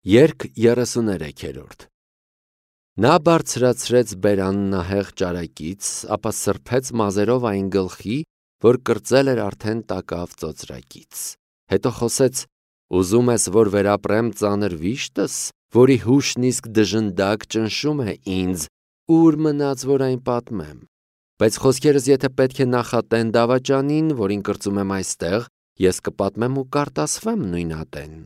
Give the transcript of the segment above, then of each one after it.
Երգ 33-րդ Նա բարձրացրեց բերանն ահեղ ճարակից, ապա սրբեց մազերով այն գլխի, որ կրծել էր արդեն տակավ ծոծրակից։ Հետո խոսեց. «Ուզում ես, որ վերապրեմ ծանր վիշտս, որի հուշն իսկ դժնդակ ճնշում է ինձ, ուր մնաց, որ այն պատմեմ։ Բայց խոսքերս եթե պետք է նախատեն դավաճանին, որին կրծում եմ այստեղ, ես կպատմեմ ու կարտասվեմ նույն ատեն։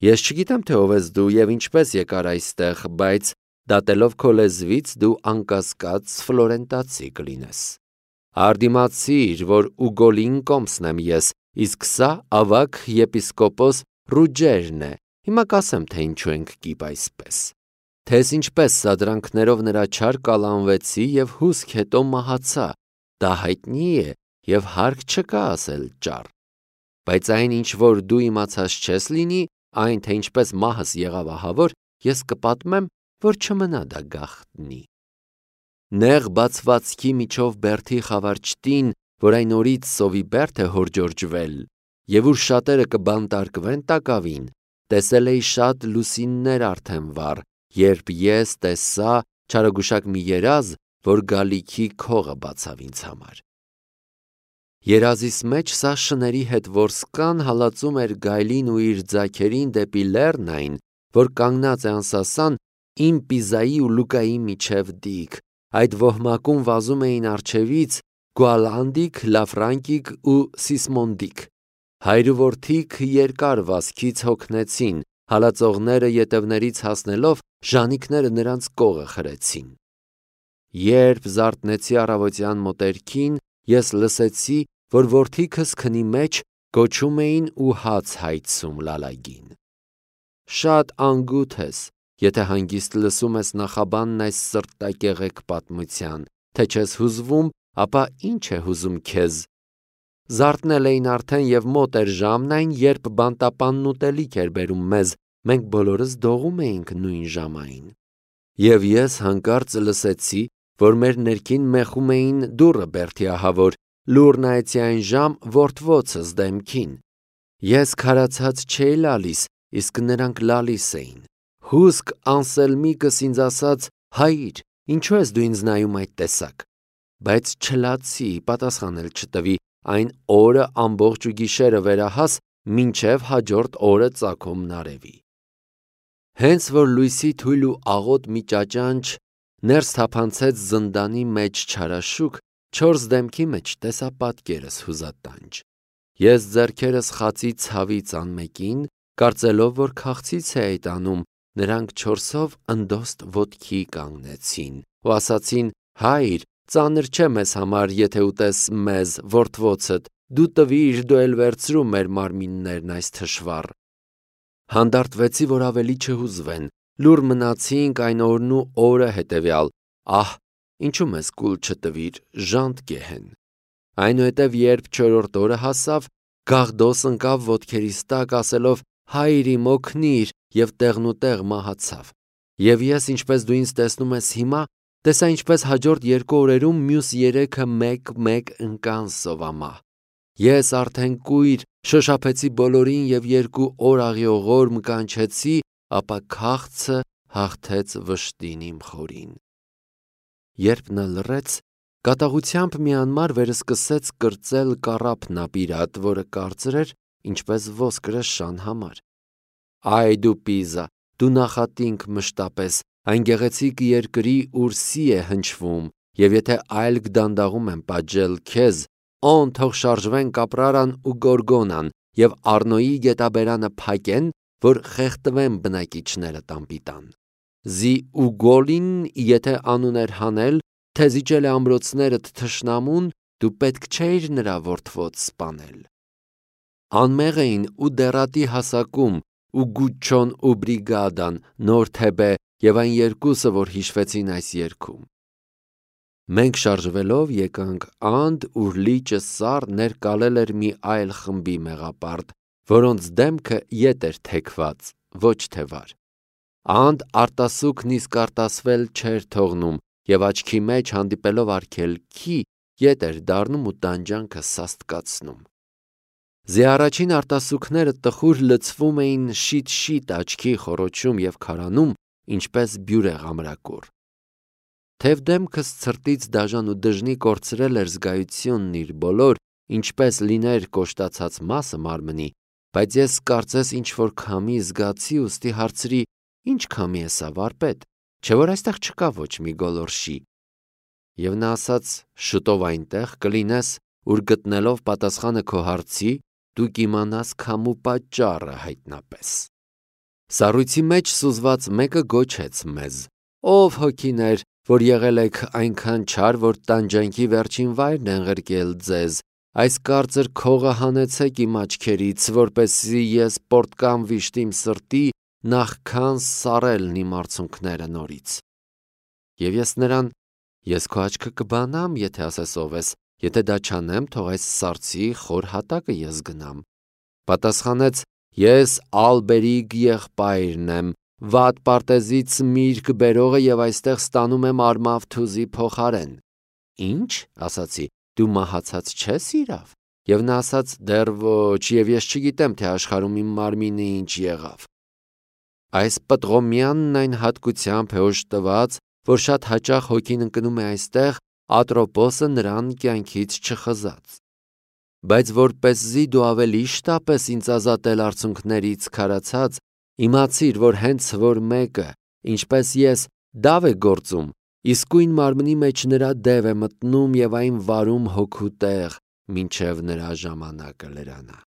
Ես չգիտեմ, թե ով ես դու և ինչպես եկար այստեղ, բայց դատելով քո լեզվից դու անկասկած ֆլորենտացի կլինես։ Արդիմացիր, որ Ուգոլին կոմսն եմ ես, իսկ սա ավագ եպիսկոպոս Ռուջերն է, հիմա կասեմ, թե ինչու ենք կիպ այսպես։ Թես ինչպես սադրանքներով նրա չար կալանվեցի և հուսք հետո մահացա, դա հայտնի է և հարկ չկա ասել ճար։ Բայց այն ինչ որ դու իմացած չես լինի, այն թե ինչպես մահս եղավ ահավոր, ես կպատմեմ, որ չմնա դա գաղտնի։ Նեղ բացվածքի միջով բերդի խավար չտին, որ այն օրից սովի բերդ է հորջորջվել, և ուր շատերը կբանտարկվեն տակավին, տեսել էի շատ լուսիններ արդեն վառ, երբ ես տեսա չարագուշակ մի երազ, որ գալիքի քողը բացավ ինձ համար։ Երազիս մեջ սա շների հետ որսկան հալածում էր գայլին ու իր ձագերին դեպի լեռն այն, որ կանգնած է անսասան իմ Պիզայի ու Լուկայի միջև դիկ, այդ ոհմակում վազում էին առջևից Գուալանդիկ, Լաֆրանկիկ ու Սիսմոնդիկ, հայր ու որդիք երկար վազքից հոգնեցին, հալածողները ետևներից հասնելով ժանիքները նրանց կողը խրեցին։ Երբ զարթնեցի առավոտյան մոտերքին, ես լսեցի, որ որդիքս քնի մեջ գոչում էին ու հաց հայցում լալագին։ Շատ անգութ ես, եթե հանգիստ լսում ես նախաբանն այս սրտակեղեկ պատմության, թե չես հուզվում, ապա ինչ է հուզում քեզ։ Զարթնել էին արդեն և մոտ էր ժամն այն, երբ բանտապանն ուտելիք էր բերում մեզ, մենք բոլորս դողում էինք նույն ժամային։ Եվ ես հանկարծ լսեցի, որ մեր ներքին մեխում էին դուռը բերդի ահավոր, լուռ նայեցի այն ժամ որդվոցս դեմքին։ Ես քարացած չէի լալիս, իսկ նրանք լալիս էին։ Հուսք Անսելմիկս ինձ ասաց. «Հայր, ինչու ես դու ինձ նայում այդ տեսակ»։ Բայց չլացի, պատասխանել չտվի, այն օրը ամբողջ ու գիշերը վերահաս, մինչև հաջորդ օրը ծագումն արևի։ Հենց որ լույսի թույլ ու աղոտ մի ճաճանչ ներս թափանցեց զնդանի մեջ չարաշուք, չորս դեմքի մեջ տեսա պատկերս հուզատանջ։ Ես ձեռքերս խացի ցավից անմեկին, կարծելով, որ քաղցից է այդ անում, նրանք չորսով ընդոստ ոտքի կանգնեցին ու ասացին. «Հայր, ծանր չէ մեզ համար, եթե ուտես մեզ, որդվոցդ, դու տվիր, դու էլ վերցրու մեր մարմիններն այս թշվառ»։ Հանդարտվեցի, որ ավելի չհուզվեն, լուռ մնացինք այն օրն ու օրը հետևյալ, ահ, ինչու մեզ կուլ չտվիր, ժանտ գեհեն։ Այնուհետև երբ չորրորդ օրը հասավ, Գաղդոս ընկավ ոտքերիս տակ, ասելով. «Հայր իմ օգնիր», և տեղնուտեղ մահացավ։ Եվ ես, ինչպես դու ինձ տեսնում ես հիմա, տեսա ինչպես հաջորդ 2 օրերում մյուս 3-ը մեկ-մեկ ընկան սովամահ։ Ես արդեն կույր շոշափեցի բոլորին և 2 օր աղիողորմ կանչեցի, ապա քաղցը հաղթեց վշտին իմ խորին։ Երբ նա լռեց, կատաղությամբ մի անմար վերսկսեց կրծել կառափն ապիրատ, որը կարծր էր, ինչպես ոսկրը շան համար։ Այ դու Պիզա, դու նախատինք մշտապես, այն գեղեցիկ երկրի, ուր սի է հնչվում, և եթե այլք դանդաղում եմ պատժել քեզ, օն թող շարժվեն Կապրարան ու Գորգոնան, և Առնոյի գետաբերանը փակեն, որ խեղդվեն բնակիչներդ անպիտան։ Զի Ուգոլին, եթե անուն էր հանել, թե զիջել է ամրոցներդ թշնամուն, դու պետք չէիր նրա որդվոց սպանել։ Անմեղ էին ու դեռատի հասակում, ու Գուչչոն ու Բրիգադան, նոր Թեբե և այն երկուսը, որ հիշվեցին այս երգում։ Մենք շարժվելով եկանք Անդ, ուր լիճը սառ ներկալել էր մի այլ խմբի մեղապարտ, որոնց դեմքը ետ էր թեքված, ոչ թե վար։ Անդ արտասուքն իսկ արտասվել չէր թողնում, և աչքի մեջ հանդիպելով արգելքի, ետ էր դառնում ու տանջանքը սաստկացնում։ Զի առաջին արտասուքները տխուր լցվում էին շիտ-շիտ աչքի խոռոչում և քարանում, ինչպես բյուրեղ ամրակուռ։ Թև դեմքս ցրտից դաժան ու դժնի կորցրել էր զգայությունն իր բոլոր, ինչպես լիներ կոշտացած մասը մարմնի, բայց ես կարծես ինչ-որ քամի զգացի, ուստի հարցրի. «Ինչ քամի է սա, վարպետ, չէ՞ որ այստեղ չկա ոչ մի գոլորշի»։ Եվ նա ասաց. «Շուտով այնտեղ կլինես, ուր գտնելով պատասխանը քո հարցի, դու կիմանաս քամու պատճառը հայտնապես»։ Սառույցի մեջ սուզված մեկը գոչեց մեզ. «Ով հոգիներ, որ եղել եք այնքան չար, որ տանջանքի վերջին վայրն ենղրկել ձեզ, այս կարծր քողը հանեցեք իմ աչքերից, որպեսզի ես պոռթկամ վիշտ իմ սրտի, նախքան սառելն իմ արցունքները նորից»։ Եվ ես նրան. «Ես քո աչքը կբանամ, եթե ասես ով ես, եթե դա չանեմ, թող այս սառցի խոր հատակը ես գնամ»։ Պատասխանեց. «Ես Ալբերիգ եղբայրն եմ, վատ պարտեզից միրգ բերողը և այստեղ ստանում եմ արմավ-թուզի փոխարեն»։ «Ի՞նչ», ասացի, «դու մահացած չես իրավ»։ Եվ նա ասաց. «Դեռ ոչ, և ես չգիտեմ, թե աշխարհում իմ մարմինը ինչ եղավ»։ Այս պտղոմյանն այն հատկությամբ է օժտված, որ շատ հաճախ հոգին ընկնում է այստեղ, Ատրոպոսը նրան կյանքից չխզած։ Բայց որպեսզի դու ավելի շտապես ինձ ազատել արցունքներից քարացած, իմացիր, որ հենց որ մեկը, ինչպես ես, դավ է գործում, իսկույն մարմնի մեջ նրա դև է մտնում և այն վարում հոգու տեղ, մինչև նրա ժամանակը լրանա։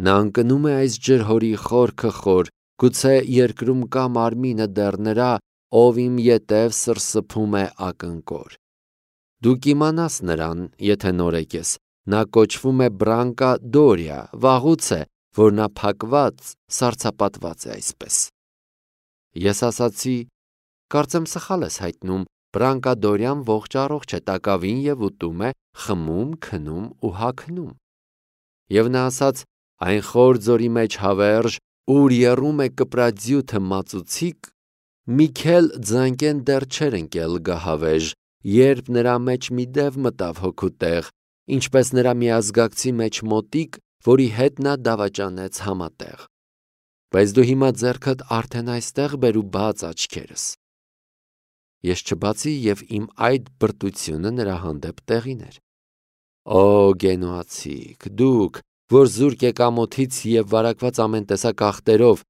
Նա ընկնում է այս ջրհորի խորքը խոր, գուցե երկրում կա մարմինը դեռ նրա, ով իմ ետև սրսփում է ակնկոր։ Դու կիմանաս նրան, եթե նորեկ ես, նա կոչվում է Բրանկա Դորիա, վաղուց է, որ նա փակված, սառցապատված է այսպես։ Ես ասացի. «Կարծեմ սխալ ես հայտնում, Բրանկա Դորիան ողջ-առողջ է, տակավին և ուտում է, խմում, քնում ու հագնում»։ Եվ նա ասաց. «Այն խոր ձորի մեջ հավերժ, ուր եռում է կպրաձյութը մածուցիկ, մի քել ձանկեն դեռ չէր ընկել գահավեժ, երբ նրա մեջ մի դև մտավ հոգու տեղ, ինչպես նրա միազգակցի մեջ մոտիկ, որի հետ նա դավաճանեց համատեղ։ Բայց դու հիմա ձեռքդ արդեն այստեղ բեր ու բաց աչքերս»։ Ես չբացի և իմ այդ բրտությունը նրա հանդեպ տեղին էր։ Օ գենուացիք, դուք, որ զուրկ եք ամոթից և վարակված ամեն տեսակ աղտերով,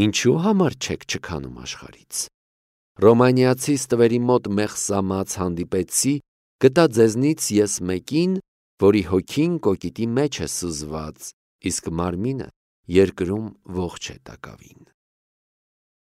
ինչու համար չեք չքանում աշխարհից։ Ռոմանիացի ստվերի մոտ մեղսամած հանդիպեցի, գտա ձեզնից ես մեկին, որի հոգին կոկիտի մեջ է սուզված, իսկ մարմինը երկրում ողջ է տակավին։